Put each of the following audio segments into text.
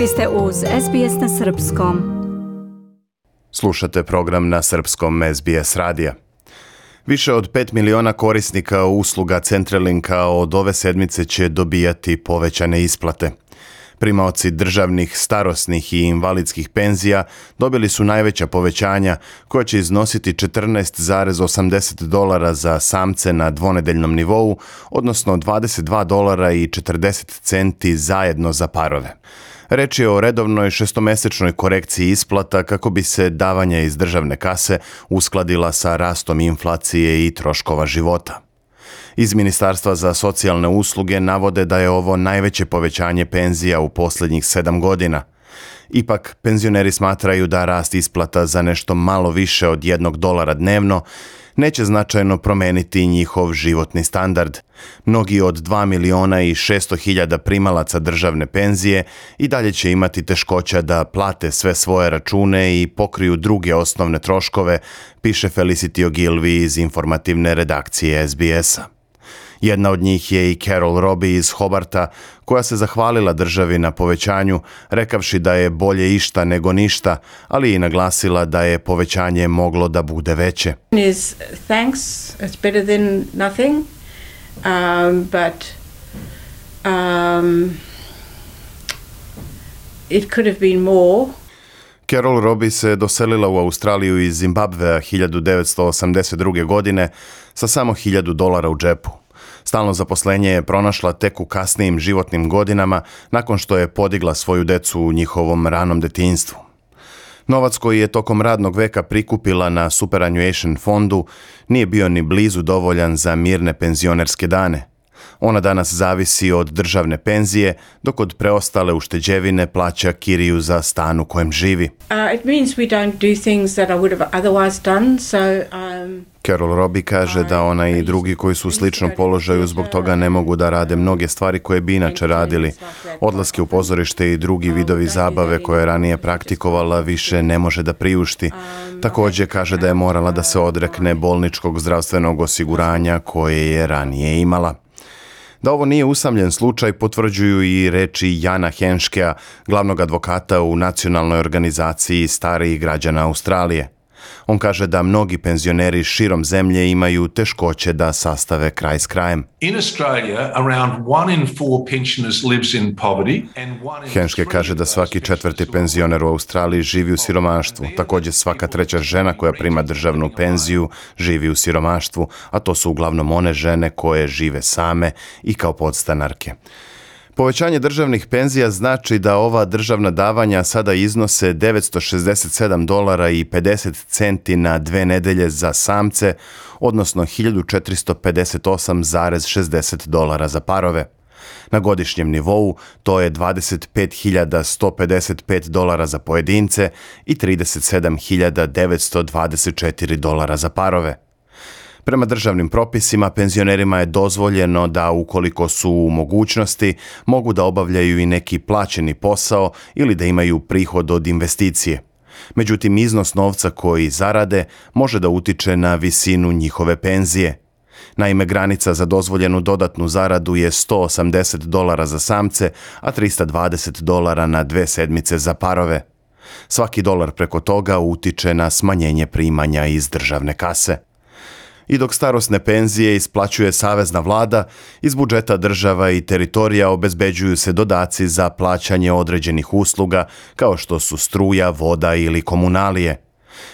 Vi ste uz SBS na Srpskom. Slušate program na srpskom SBS radija. Više od 5 miliona korisnika usluga Centrelinka od ove sedmice će dobijati povećane isplate. Primaoci državnih, starosnih i invalidskih penzija dobili su najveća povećanja koja će iznositi $14,80 za samce na dvonedeljnom nivou, odnosno $22,40 zajedno za parove. Reč je o redovnoj šestomesečnoj korekciji isplata kako bi se davanja iz državne kase uskladila sa rastom inflacije i troškova života. Iz Ministarstva za socijalne usluge navode da je ovo najveće povećanje penzija u posljednjih 7 godina. Ipak, penzioneri smatraju da rast isplata za nešto malo više od $1 dnevno neće značajno promeniti njihov životni standard. Mnogi od 2.600.000 primalaca državne penzije i dalje će imati teškoća da plate sve svoje račune i pokriju druge osnovne troškove, piše Felicity Ogilvy iz informativne redakcije SBS-a. Jedna od njih je i Carol Robbie iz Hobarta, koja se zahvalila državi na povećanju, rekavši da je bolje išta nego ništa, ali i naglasila da je povećanje moglo da bude veće. Thanks, it's better than nothing, but it could have been more. Carol Robbie se doselila u Australiju iz Zimbabvea 1982. godine sa samo $1,000 u džepu. Stalno zaposlenje je pronašla tek u kasnijim životnim godinama nakon što je podigla svoju decu u njihovom ranom detinjstvu. Novac koji je tokom radnog veka prikupila na superannuation fondu nije bio ni blizu dovoljan za mirne penzionerske dane. Ona danas zavisi od državne penzije, dok od preostale ušteđevine plaća kiriju za stan u kojem živi. It means we don't do things that I would have otherwise done, so Carol Robbie kaže da ona i drugi koji su u sličnom položaju zbog toga ne mogu da rade mnoge stvari koje bi inače radili. Odlaske u pozorište i drugi vidovi zabave koje je ranije praktikovala više ne može da priušti. Također kaže da je morala da se odrekne bolničkog zdravstvenog osiguranja koje je ranije imala. Da ovo nije usamljen slučaj potvrđuju i reči Jana Henškea, glavnog advokata u nacionalnoj organizaciji starijih građana Australije. On kaže da mnogi penzioneri širom zemlje imaju teškoće da sastave kraj s krajem. In Australia, around 1 in 4 pensioners lives in poverty and 1 in Henške kaže da svaki četvrti penzioner u Australiji živi u siromaštvu. Također svaka treća žena koja prima državnu penziju živi u siromaštvu, a to su uglavnom one žene koje žive same i kao podstanarke. Povećanje državnih penzija znači da ova državna davanja sada iznose $967,50 na 2 nedelje za samce, odnosno $1.458,60 za parove. Na godišnjem nivou to je $25.155 za pojedince i $37.924 za parove. Prema državnim propisima, penzionerima je dozvoljeno da, ukoliko su u mogućnosti, mogu da obavljaju i neki plaćeni posao ili da imaju prihod od investicije. Međutim, iznos novca koji zarade može da utiče na visinu njihove penzije. Naime, granica za dozvoljenu dodatnu zaradu je $180 za samce, a $320 na 2 sedmice za parove. Svaki dolar preko toga utiče na smanjenje primanja iz državne kase. I dok starosne penzije isplaćuje savezna vlada, iz budžeta država i teritorija obezbeđuju se dodaci za plaćanje određenih usluga, kao što su struja, voda ili komunalije.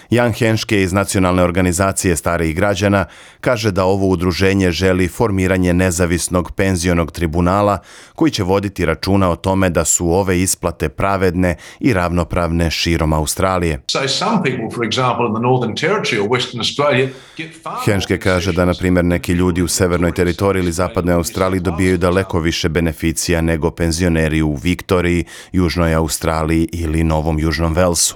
Jan Henške iz Nacionalne organizacije starijih građana kaže da ovo udruženje želi formiranje nezavisnog penzionog tribunala koji će voditi računa o tome da su ove isplate pravedne i ravnopravne širom Australije. Henške kaže da, na primjer, neki ljudi u Severnoj teritoriji ili Zapadnoj Australiji dobijaju daleko više beneficija nego penzioneri u Viktoriji, Južnoj Australiji ili Novom Južnom Velsu.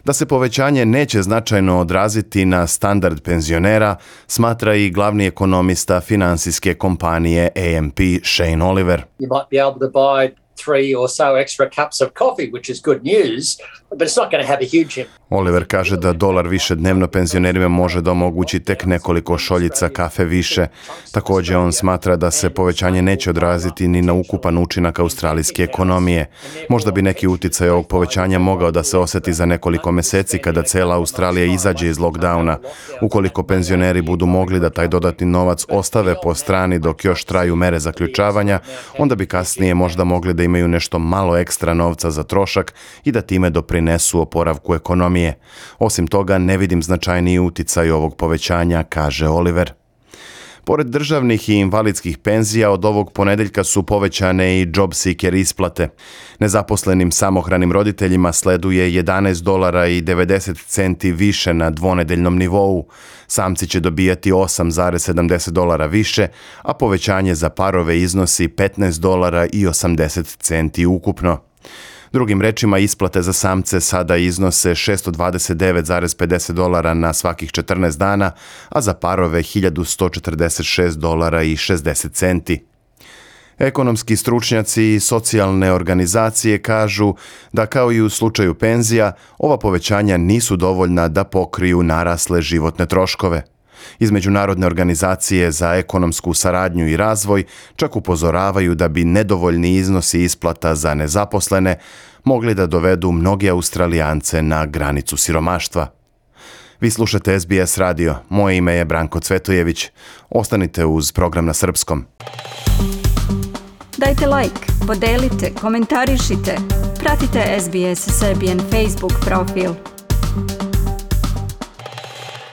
Da se povećanje neće značajno odraziti na standard penzionera, smatra i glavni ekonomista finansijske kompanije AMP Shane Oliver. You might be able to buy 3 or so extra cups of coffee, which is good news, but it's not going to have a huge impact. Oliver kaže da $1 više dnevno penzionerima može da omogući tek nekoliko šoljica kafe više. Također on smatra da se povećanje neće odraziti ni na ukupan učinak australijske ekonomije. Možda bi neki uticaj ovog povećanja mogao da se osjeti za nekoliko mjeseci kada cela Australija izađe iz lockdowna. Ukoliko penzioneri budu mogli da taj dodatni novac ostave po strani dok još traju mere zaključavanja, onda bi kasnije možda mogli da imaju nešto malo ekstra novca za trošak i da time doprinesu oporavku ekonomije. Osim toga, ne vidim značajniji uticaj ovog povećanja, kaže Oliver. Pored državnih i invalidskih penzija, od ovog ponedeljka su povećane i job seeker isplate. Nezaposlenim samohranim roditeljima sleduje $11.90 više na dvonedeljnom nivou. Samci će dobijati $8,70 više, a povećanje za parove iznosi $15.80 ukupno. Drugim rečima, isplate za samce sada iznose $629,50 na svakih 14 dana, a za parove $1.146,60. Ekonomski stručnjaci i socijalne organizacije kažu da kao i u slučaju penzija, ova povećanja nisu dovoljna da pokriju narasle životne troškove. Iz Međunarodne organizacije za ekonomsku saradnju i razvoj čak upozoravaju da bi nedovoljni iznosi isplata za nezaposlene mogli da dovedu mnoge Australijance na granicu siromaštva. Vi slušate SBS radio. Moje ime je Branko Cvetojević. Ostanite uz program na srpskom. Dajte like, podelite, komentarišite. Pratite SBS Serbian Facebook profil.